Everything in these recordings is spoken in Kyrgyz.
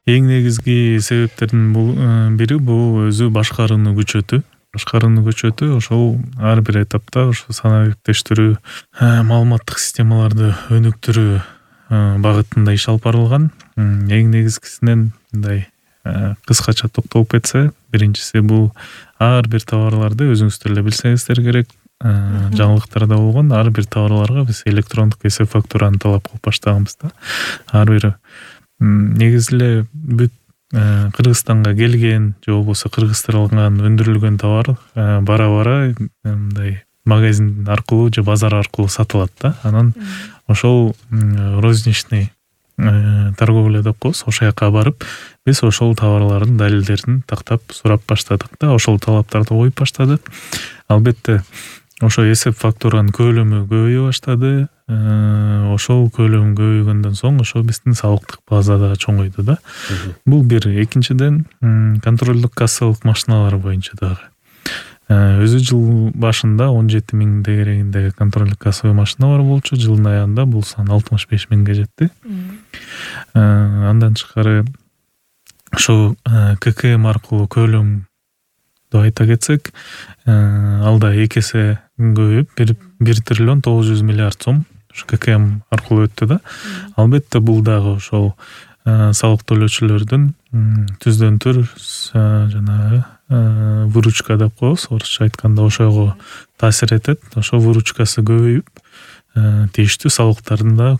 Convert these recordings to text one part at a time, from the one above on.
Эң негизги себептердин бири бул өзү башкарууну күчөтүү. Ошол ар бир этапта ошо санаа кептештирүү, маалыматтык системаларды өнүктүрүү багытында иш алып барылган. Эң негизгисинен мындай кыскача токтолуп кетсе, биринчиси бул ар бир товарларды өзүңүздөр эле билсеңиздер керек, жаңылыктарда болгон ар бир товарларга биз электрондук эсеп фактураны талап кылып баштаганбыз да. Ар бир негизи эле бүт Кыргызстанга келген же болбосо кыргызстырылган өндүрүлгөн товар бара мындай магазин аркылуу же базар аркылуу сатылат да. Анан ошол розничный торговля деп коебуз. Ошол жака барып, биз ошол товарлардын далилдерин тактап сурап баштадык да. Ошол талаптарды коюп баштадык. Албетте ошо эсеп фактуранын көлөмү көбөйө баштады. Ошол көлөм көбөйгөндөн соң ошо биздин салыктык база да чоңойду да. Бул бир. Экинчиден, контролдук кассалык машиналар боюнча дагы. Өзү жыл башында 17 000 дегерегинде контролдук кассовый машина бар болчу. Жылдын аягында бул сан 65 000ге жетти. Андан тышкары ошо ККМ аркылуу көлөм деп айта кетсек, ал да 2 эсе көбөйүп 1 триллион 900 миллиард сом ККМ аркылуу өттү да. Албетте бул дагы ошол салык төлөөчүлөрдүн түздөн түр жанагы выручка деп коебуз, орусча айтканда ошого таасир этет. Ошо выручкасы көбөйүп, тийиштүү салыктардын да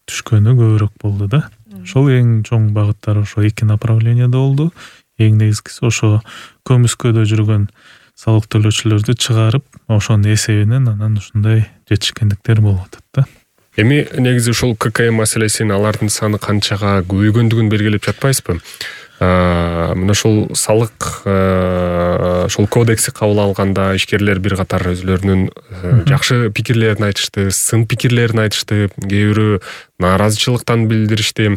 түшкөнү көбүрөөк болду да. Ошол эң чоң багыттар ошо 2 направленияда болду. Эң негизгиси ошо көмүскөдө жүргөн салык төлөөчүлөрдү чыгарып, ошонун эсебинен анан ушундай жетишкендиктер болуп атат да. Эми негизи ушул ККМ маселесин алардын саны канчага көбөйгөндүгүн белгилеп жатпайсызбы? Мына ошол салык ошол кодекси кабыл алганда ишкерлер бир катар өзүлөрүнүн жакшы пикирлерин айтышты, сын пикирлерин айтышты, кээ бирөө нааразычылыктан билдиришти.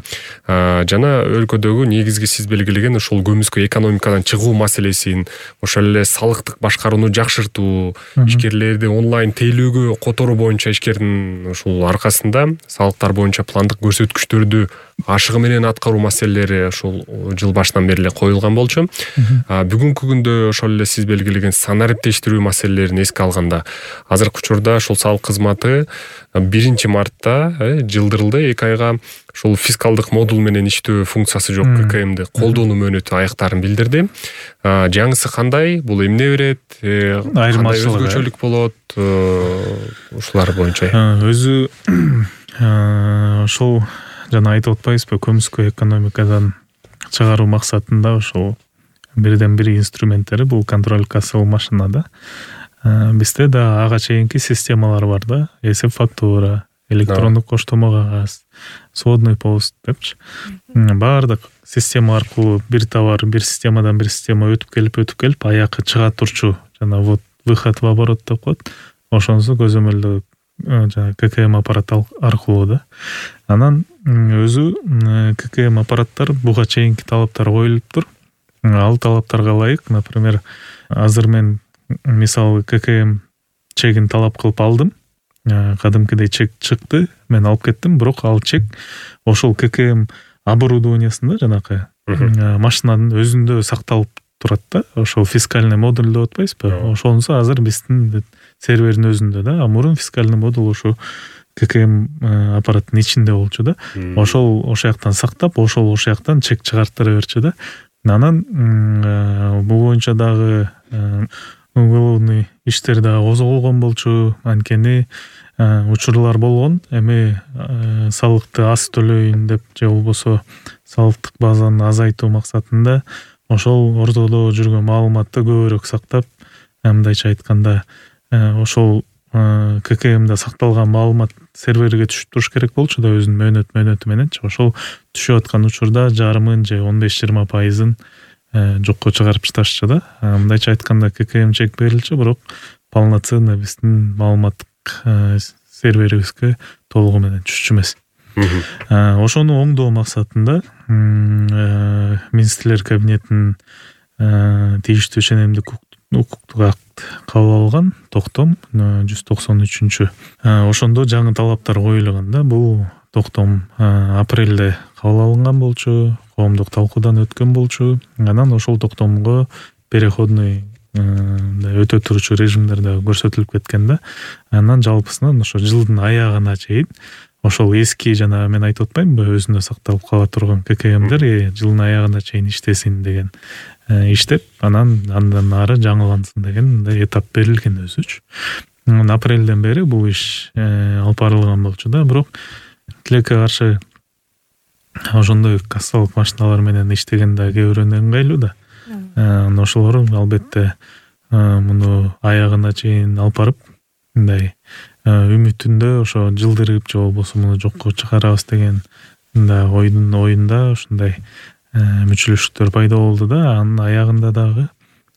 Жана өлкөдөгү негизги сиз белгилеген ушул көмүскө экономикадан чыгуу маселесин, ошол эле салыктык башкарууну жакшыртуу, ишкерлерди онлайн тейлөөгө которуу боюнча ишкердин ушул аркасында салыктар боюнча пландык көрсөткүчтөрдү ашыгы менен аткаруу маселелери ушул жыл башынан бери эле коюлган болчу. Бүгүнкү күндө ошол эле сиз белгилеген санариптештирүү маселелерин эске алганда, азыркы учурда ошол салык кызматы 1 мартта жылдырылды. 2 айга ошол фискалдык модул менен иштөө функциясы жок ККМди колдонуу мөөнөтү аяктарын билдирди. Жаңысы кандай? Бул эмне берет? Кандай өзгөчөлүк болот? Ушулар боюнча. Өзү ошол жана айтып атпайбызбы, көмүскө экономикадан чыгаруу максатында ошол бирден бир инструменттери бул контроль кассовый машина да. Бизде да ага чейинки системалар бар да. Эсеп фактура, электрондук коштомо кагаз, сводный пост депчи. Баардык система аркылуу бир товар бир системадан бир система өтүп келип аякка чыга турчу жана вот выход в оборот деп коет. Ошонусу көзөмөлдөө жана ККМ аппарат аркылуу да. Анан өзү ККМ аппараттар буга чейинки талаптар коюлуптур. Ал талаптарга ылайык, например, азыр мен мисалы ККМ чегин талап кылып алдым. Кадимкидей чек чыкты, мен алып кеттим, бирок ал чек ошол ККМ оборудованиясында жанакы машинанын өзүндө сакталып турат да. Ошол фискальный модуль деп атпайбызбы? Ошонусу азыр биздин сервердин өзүндө да. Мурун фискальный модуль ошо ККМ аппараттын ичинде болчу да. Ошол жактан сактап, ошол жактан чек чыгарттыра берчү да. Анан бул боюнча дагы уголовный иштер дагы козголгон болчу. Анткени учурлар болгон. Эми салыкты аз төлөйүн деп же болбосо салыктык базаны азайтуу максатында ошол ортодо жүргөн маалыматты көбүрөөк сактап, мындайча айтканда, ошол ККМда сакталган маалымат серверге түшүп туруш керек болчу да, өзүнүн мөөнөтү мененчи. Ошол түшүп аткан учурда жарымын же 15-20% жокко чыгарып таштычу да. Мындайча айтканда ККМ чек берилчү, бирок полноценно биздин маалыматтык серверибизге толугу менен түшчү эмес. Ошону оңдоо максатында Министрлер кабинетинин тийиштүү ченемдик укуктук акт кабыл алган, токтом 193. Ошондо жаңы талаптар коюлган да. Бул токтом апрелде кабыл алынган болчу. коомдук талкуудан өткөн болчу. Анан ошол токтомго переходный өтө турчу режимдер да көрсөтүлүп кеткен да. Анан жалпысынан ошо жылдын аягына чейин ошол эски жана мен айтып атпаймынбы, өзүндө сакталып кала турган ККМдер жылдын аягына чейин иштесин деген иштеп, андан ары жаңылансын деген мындай этап берилген өзүчү. Апрелден бери бул иш алып барылган болчу да, бирок тилекке каршы ошондой кассалык машиналар менен иштеген да кээ бирөөнө ыңгайлуу да. Ошолор албетте муну аягына чейин алып барып, мындай үмүтүндө ошо жылдырып же болбосо муну жокко чыгарабыз деген оюнда ушундай мүчүлүштүктөр пайда болду да. Анын аягында дагы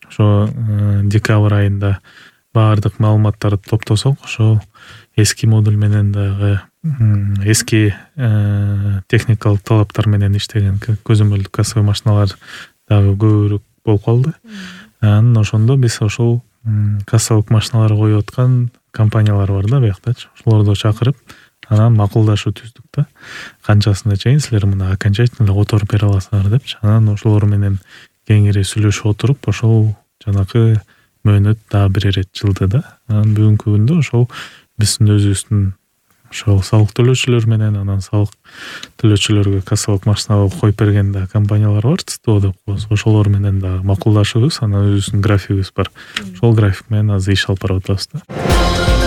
ошо декабрь айында баардык маалыматтарды топтосок, ошол эски модуль менен дагы эски техникалык талаптар менен иштеген көзөмөлдүк кассовый машиналар дагы көбүрөөк болуп калды. Анан ошондо биз ошол кассалык машиналар коюп аткан компаниялар бар да бияктачы. Ошолорду чакырып, анан макулдашуу түздүк да. Канчасына чейин силер муну окончательно которуп бере аласыңар депчи. Анан ошолор менен кеңири сүйлөшүп отуруп, ошол жанакы мөөнөт дагы бир ирет жылды да. Анан бүгүнкү күндө ошол биздин өзүбүздүн ошол салык төлөөчүлөр менен, анан салык төлөөчүлөргө кассалык машина коюп берген да компаниялар бар, ЦТО деп коебуз. Ошолор менен дагы макулдашыбыз, анан өзүбүздүн графигибиз бар. Ошол график менен азыр иш алып барып атабыз да.